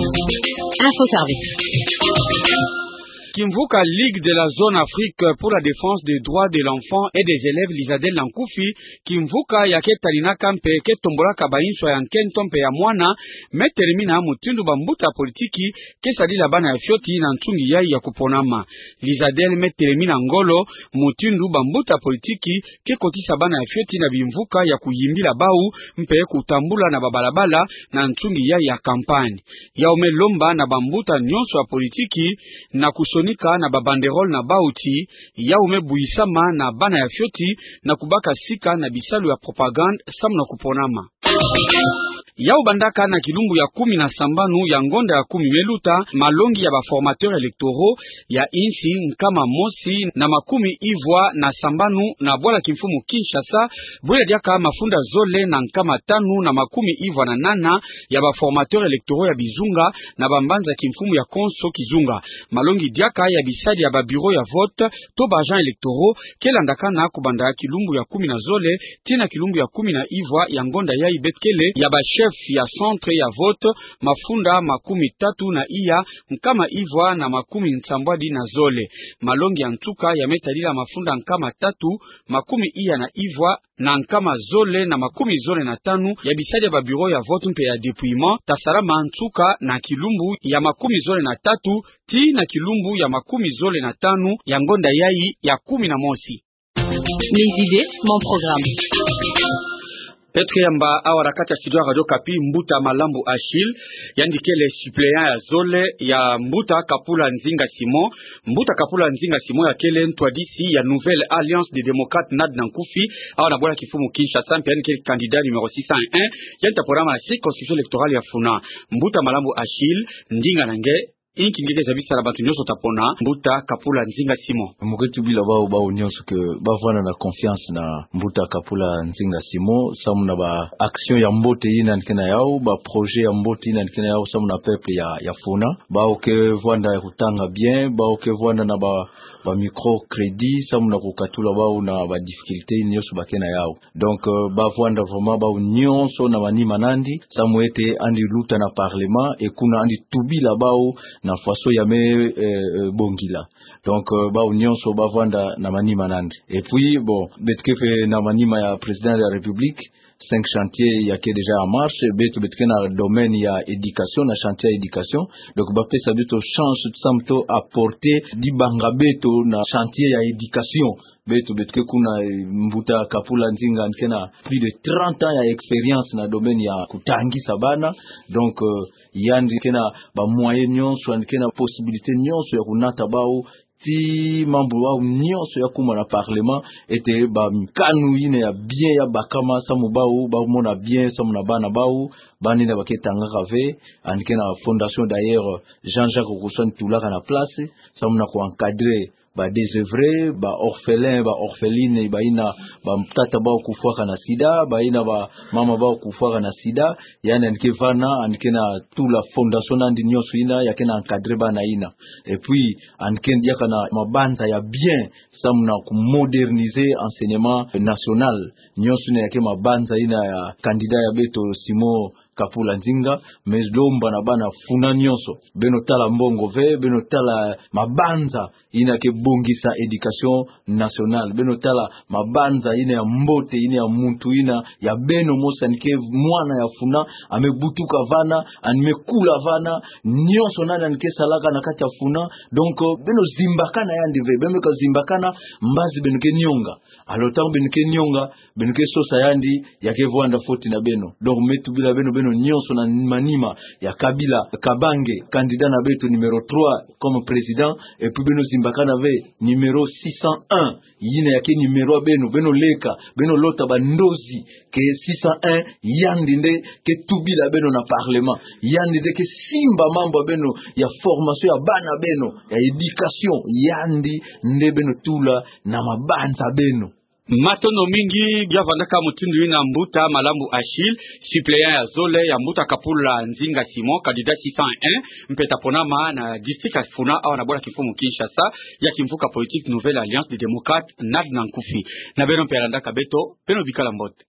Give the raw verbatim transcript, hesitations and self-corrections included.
Info Service. Kimvuka Ligue de la Zone Afrique pour la Défense des Droits de l'Enfant et des Élèves, Lizadel na nkufi, kimvuka ya ke taninaka mpe ke tombolaka bansoni ya nkento mpe ya mwana, me telemina mutindu bambuta politiki ke sadila bana ya fioti na nsungi yai ya kuponama. Lizadel me telemina ngolo mutindu bambuta politiki ke kotisa bana ya fioti na bimvuka ya kuyimbila bau mpe kutambula na babalabala na nsungi yai ya kampanye. Yau me lomba na bambuta nyonso ya politiki na kusonika na babanderole na bau ti yau me buisama na bana ya fioti na kubaka sika na bisalu ya propagande samu na kuponama. Yau bandaka na kilumbu ya kumi na sambanu ya ngonda ya kumi me luta, malongi ya ba formateurs électoraux ya insi nkama mosi na makumi ivwa na sambanu na bwala kimfumu Kinshasa, bwela diaka mafunda zole na nkama tanu na makumi ivwa na nana ya ba formateurs électoraux ya bizunga na bambanza kimfumu ya konso kizunga. Malongi diaka ya bisadi ya ba bureaux ya vote to ba agents électoraux ke landakana kubanda kilumbu ya kumi na zole tii na kilumbu ya kumi na ivwa ya ngonda yai, beto kele ya ba chefs ya centre ya vote mafunda makumi tatu na iya nkama ivwa na makumi nsambwadi na zole. Malongi ya nsuka ya me tadila mafunda nkama tatu makumi iya na ivwa na nkama zole na makumi zole na tanu ya bisadi ya ba bureaux ya vote mpe ya dépouillement, ta salama nsuka na kilumbu ya makumi zole na tatu tii na kilumbu ya makumi zole na tanu ya ngonda yai ya kumi na mosi. Mes idées, mon programme. Beto ke yamba awa na kati ya studio ya Radio Okapi mbuta Malambu Achille, yandi kele suppléant ya zole ya mbuta Kapula Nzinga Simon. Mbuta Kapula Nzinga Simon ya kele ntwadisi ya Nouvelle Alliance des Démocrates, NAD na nkufi, awa na bwala kimfumu Kinshasa, mpe yandi kele candidat numéro six cent un, yandi ta ponama na circonscription électorale ya Funa. Mbuta Malambu Achille, ndinga na nge, inki nge ke zabisa na bantu nyonso ta pona mbuta Kapula Nzinga Simon? Mo ke tubila bau, bau nyonso ke ba vwanda na confiance na mbuta Kapula Nzinga Simon samu na ba action ya mbote yina yandi ke na yau, ba projet ya mbote yina yandi ke na yau samu na peuple ya, ya Funa. Bau ke vwanda ya kutanga bien, bau ke vwanda na ba, ba microcrédit samu na kukatula bau na ba difficulté yina nyonso ba ke na yau. Donc, euh, ba vwanda vraiment bau nyonso na manima na yandi, samu ete yandi luta na parlement, e kuna yandi tubila bau na façon ya me, euh, euh, bongila. Donc, euh, bau nyonso ba vwanda na manima na yandi. Et puis, bon, beto ke mpe na manima ya Président de la République, cinq chantiers ya ke déjà en marche, beto, beto ke na domaine ya éducation, na chantier ya éducation. Donc, ba pesa beto chance, samu to apporter dibanga beto na chantier ya éducation. Beto, beto ke kuna, eh, mbuta Kapula Nzinga yandi ke na plus de trente ans ya expérience na domaine ya kutangisa bana. Donc, euh, yandi ke na ba moyens nyonso, yandi ke na possibilité nyonso ya kunata bau, ti mambu bau nyonso ya kuma na parlement, ete ba mikanu yina ya bien ya bakama samu bau, bau mona bien samu na bana bau, bana yina ba ke tangaka ve, yandi ke na fondation d'ailleurs Jean-Jacques Rousseau yandi tulaka na place, samu na ku encadrer ba désœuvrés, ba orphelins, ba orphelines, bayina ba tata bau kufwaka na sida, bayina ba mama bau kufwaka na sida, yandi, yandi ke vana, yandi ke na tula fondation na yandi nyonso yina, ya ke na encadrer bana yina. Et puis, yandi ke diaka na mabanza ya bien, samu na ku moderniser enseignement national. Nyonso yina ya ke mabanza yina ya candidat ya beto Simon Kapula Nzinga, me lomba na bana Funa nyonso. Beno tala mbongo ve, beno tala mabanza yina ke bongisa éducation nationale. Beno tala mabanza yina ya mbote, yina ya muntu yina, ya beno mosi yandi ke mwana ya Funa, a me butuka vana, yandi me kula vana, nyonso na yandi ke salaka na kati ya Funa. Donc, euh, beno zimbakana yandi ve, beno me ka zimbakana, mbazi beno ke nionga. Alors, ntangu beno ke nionga, beno ke sosa yandi, ya ke vwanda foti na beno. Donc, me tubila beno, beno nyonso na manima ya Kabila Kabange, candidat na beto numéro trois comme président, et puis beno zimbakana ve numéro six cent un, yina ya ke numéro ya beno, beno leka, beno lota ba ndozi ke six cent un, yandi nde ke tubila beno na parlement, yandi nde ke simba mambu ya beno, ya formation ya bana beno, ya éducation, yandi nde beno tula na mabanza beno. Matondo mingi. Bia vandaka mutindu yina mbuta Malambu Achille, suppléant ya zole ya mbuta Kapula Nzinga Simon, candidat six cent un, mpe ta ponama na district ya Funa, awa na bwala kimfumu Kinshasa, ya kimvuka politique Nouvelle Alliance des Démocrates, NAD na nkufi. Na beno mpe ya landaka beto, beno bikala mbote.